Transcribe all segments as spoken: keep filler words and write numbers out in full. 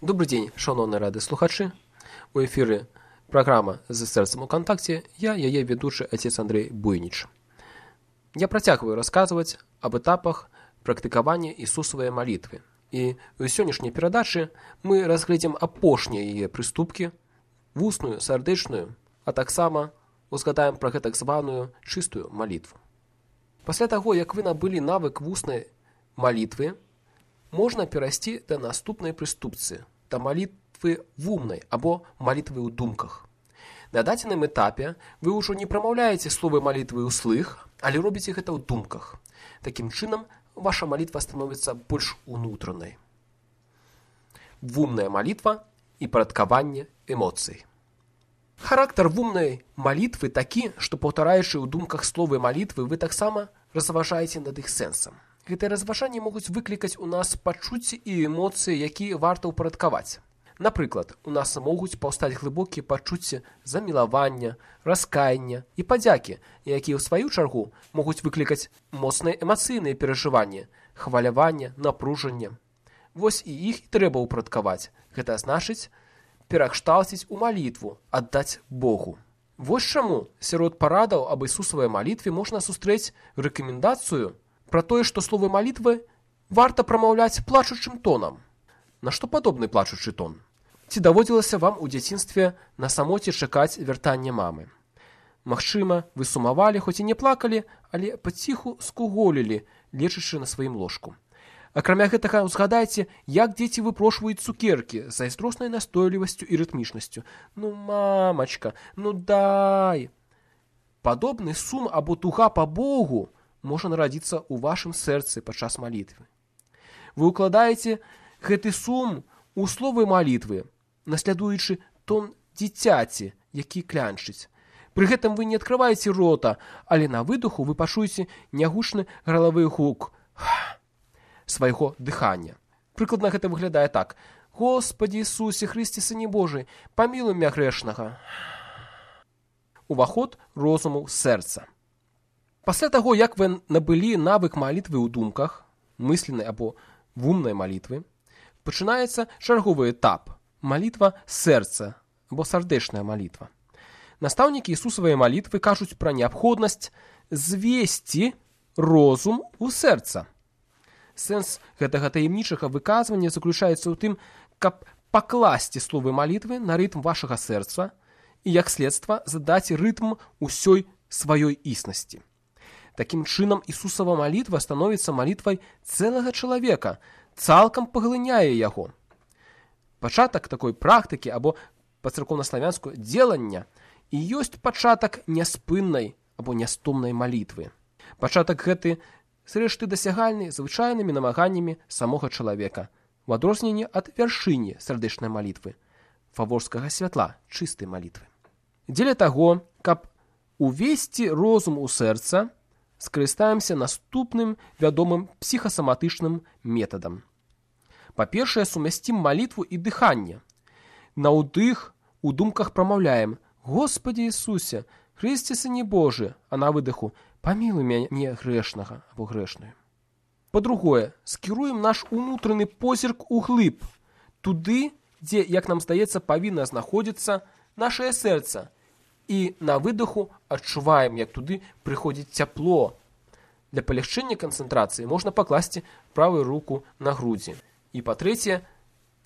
Добрый день, шановні радыслухачы. У эфіры праграма «За сэрцам у кантакце». Я, яе ведучы отец Андрей Буйніч. Я працягваю расказваць об этапах практыкавання Ісусавай малітвы. І ў сённяшняй перадачы мы разгледзім апошнія яе прыступкі, вусную, сардэчную, а таксама узгадаем пра гэтак званую чыстую малітву. Пасля таго, як вы набылі навык вуснай малітвы, можна перайсці да наступнай прыступцы, да малітвы вумнай або малітвы ў думках. На дадзеным этапе вы ўжо не прамаўляеце словы малітвы ўслых, але робіце гэта ў думках. Такім чынам, ваша малітва становіцца больш унутранай. Вумная малітва і парадкаванне эмоцый. Характар вумнай малітвы такі, што паўтараючы ў думках словы малітвы, вы таксама разважаеце над іх сэнсам. Гэтыя разважанні могуць выклікаць у нас пачуцці і эмоцыі, якія варта ўпарадкаваць. Напрыклад, у нас могуць паўстаць глыбокія пачуцці замілавання, раскаяння і падзякі, якія ў сваю чаргу могуць выклікаць моцныя эмацыйныя перажыванні, хваляванне, напружанне. Вось і іх і трэба ўпарадкаваць. Гэта значыць перакшталціць у малітву, аддаць Богу. Вось чаму сярод парадаў аб Ісусавай малітве можна сустрэць рэкамендацыю пра тое, што словы малітвы варта прамаўляць плачучым тонам. На што падобны плачучы тон? Ці даводзілася вам у дзяцінстве на самоце чакаць вяртання мамы? Магчыма, вы сумавалі, хоць і не плакалі, але паціху скуголілі, лечачы на сваім ложку. Акрамя гэтага, узгадайце, як дзеці выпрошваюць цукеркі з зайздроснай настойлівасцю і рытмічнасцю. Ну, мамачка, ну дай! Падобны сум або туга па Богу можа нарадзіцца ў вашым сэрцы падчас малітвы. Вы ўкладаеце гэты сум у словы малітвы, наслядуючы тон дзіцяці, які клянчыць. Пры гэтым вы не адкрываеце рота, але на выдоху вы пачуеце нягучны гралавы гук свайго дыхання. Прыкладна гэта выглядае так: «Господі Ісусе Хрысце, Сыне Божий, памілуй мя грэшнага». Уваход розуму сэрца. Пасля таго, як вы набылі навык малітвы ў думках, мысленнай або вумнай малітвы, пачынаецца чарговы этап – малітва сэрца або сардэчная малітва. Настаўнікі Ісусавай малітвы кажуць пра неабходнасць звесці розум у сэрца. Сэнс гэтага таямнічага выказвання заключаецца ў тым, каб пакласці словы малітвы на рытм вашага сэрца і, як следства, задаць рытм усёй сваёй існасці. Такім чынам, Ісусава малітва становіцца малітвай цэлага чалавека, цалкам паглыняе яго. Пачатак такой практыкі або па-царкоўнаславянску дзелання і ёсць пачатак няспыннай або нястомнай малітвы. Пачатак гэты зрэшты дасягальны звычайнымі намаганнямі самога чалавека, у адрозненні ад вяршыні сардэчнай малітвы, фаворскага святла, чыстай малітвы. Дзеля таго, каб увесці розум у сэрца, скарыстаемся наступным вядомым псіхасаматычным метадам. Па-першае, сумясцім малітву і дыханне. На ўдых у думках прамаўляем: «Господі Ісусе, Хрысце, Сыне Божы», а на выдыху «Памілуй мяне грэшнага» або грэшную. Па-другое, скіруем наш унутраны позірк углыб, туды, дзе, як нам здаецца, павінна знаходзіцца нашае сэрца, і на выдоху адчуваем, як туды прыходзіць цяпло. Для палягчэння канцэнтрацыі можна пакласці правую руку на грудзі. І па-трэцяе,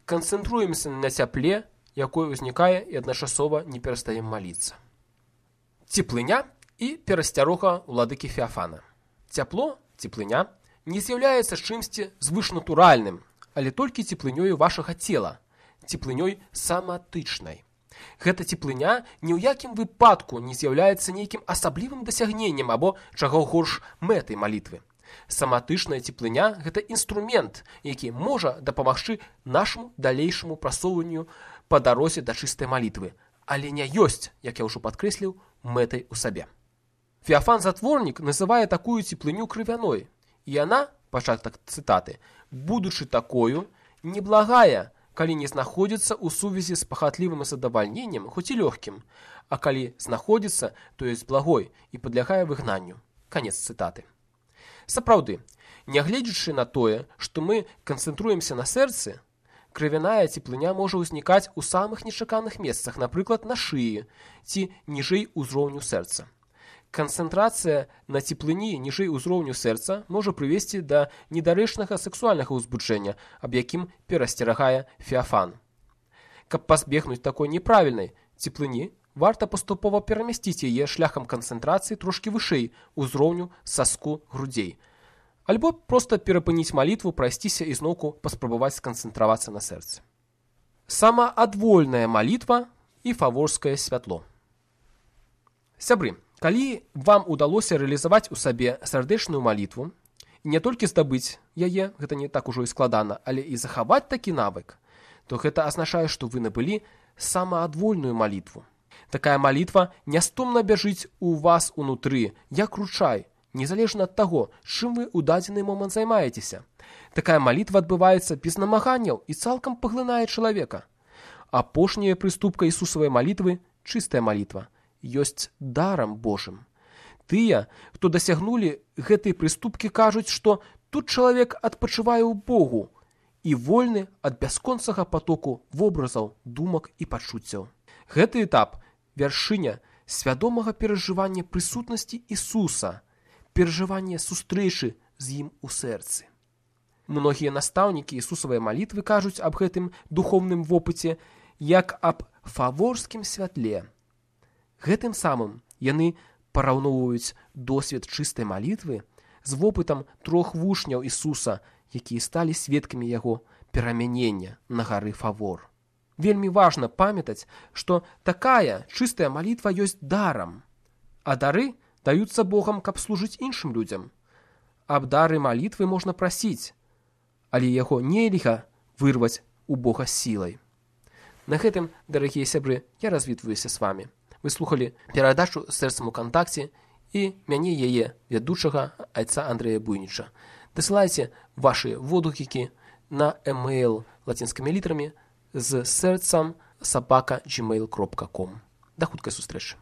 канцэнтруемся на цяпле, якое ўзнікае, і адначасова не перастаем маліцца. Цеплыня і перасцярога ўладыкі Феафана. Цяпло, цеплыня, не з'яўляецца чымсьці звышнатуральным, але толькі цеплынёю вашага цела, цеплынёй саматычнай. Гэта цеплыня ні ў якім выпадку не з'яўляецца нейкім асаблівым дасягненнем або, чаго горш, мэтай малітвы. Саматычная цеплыня – гэта інструмент, які можа дапамагчы нашаму далейшаму прасоўванню па дарозе да чыстай малітвы, але не ёсць, як я ўжо падкрэсліў, мэтай у сабе. Феафан-затворнік называе такую цеплыню крывяной, і яна, пачатак цытаты, будучы такою, неблагая, калі не знаходзіцца ў сувязі з пахатлівым задавальненнем, хоць і лёгкім, а калі знаходзіцца, то ёсць благой і падлягае выгнанню. Канец цытаты. Сапраўды, нягледзячы на тое, што мы канцэнтруемся на сэрцы, Крывяная цеплыня можа ўзнікаць у самых нечаканых месцах, напрыклад, на шыі ці ніжэй узроўню сэрца. Канцэнтрацыя на цеплыні ніжэй узроўню сэрца можа прывесці да недарэчнага сексуальнага ўзбуджэння, аб якім перасцерагае Феафан. Каб пазбегнуць такой неправільнай цеплыні, варта паступова перамясціць яе шляхам канцэнтрацыі трошкі вышэй узроўню саску грудзей. Альбо проста перапыніць малітву, прайсціся і зноўку паспрабаваць сканцэнтравацца на сэрцы. Самаадвольная малітва і фаворскае святло. Сябры, калі вам удалося рэалізаваць у сабе сардэчную малітву, і не толькі здабыць яе, гэта не так ужо і складана, але і захаваць такі навык, то гэта азначае, што вы набылі самаадвольную малітву. Такая малітва нястомна бяжыць у вас унутры, як ручай, незалежна ад таго, чым вы ў дадзены момант займаецеся. Такая малітва адбываецца без намаганняў і цалкам паглынае чалавека. Апошняя прыступка Ісусавай малітвы – чыстая малітва, ёсць дарам Божым. Тыя, хто дасягнулі гэтай прыступкі, кажуць, што тут чалавек адпачывае ў Богу і вольны ад бясконцага патоку вобразаў, думак і пачуццяў. Гэты этап – вяршыня свядомага перажывання прысутнасці Ісуса, перажывання сустрэчы з ім у сэрцы. Многія настаўнікі Ісусавай малітвы кажуць аб гэтым духоўным вопыце як аб фаворскім святле. Гэтым самым яны параўноўваюць досвед чыстай малітвы з вопытам трох вучняў Ісуса, якія сталі сведкамі яго перамянення на гары Фавор. Вельмі важна памятаць, што такая чыстая малітва ёсць дарам, а дары даюцца Богам, каб служыць іншым людзям. Аб дары малітвы можна прасіць, але яго нельга вырваць у Бога сілай. На гэтым, дарагія сябры, я развітваюся з вамі. Вы слухалі перадачу «Сэрцам у кантакце» і мяне яе вядучага айца Андрэя Буйніча. Дасылайце вашы водгукі на e-mail лацінскімі літарамі з сэрцам сабака джимейл кропка ком. Да хуткай сустрэчы.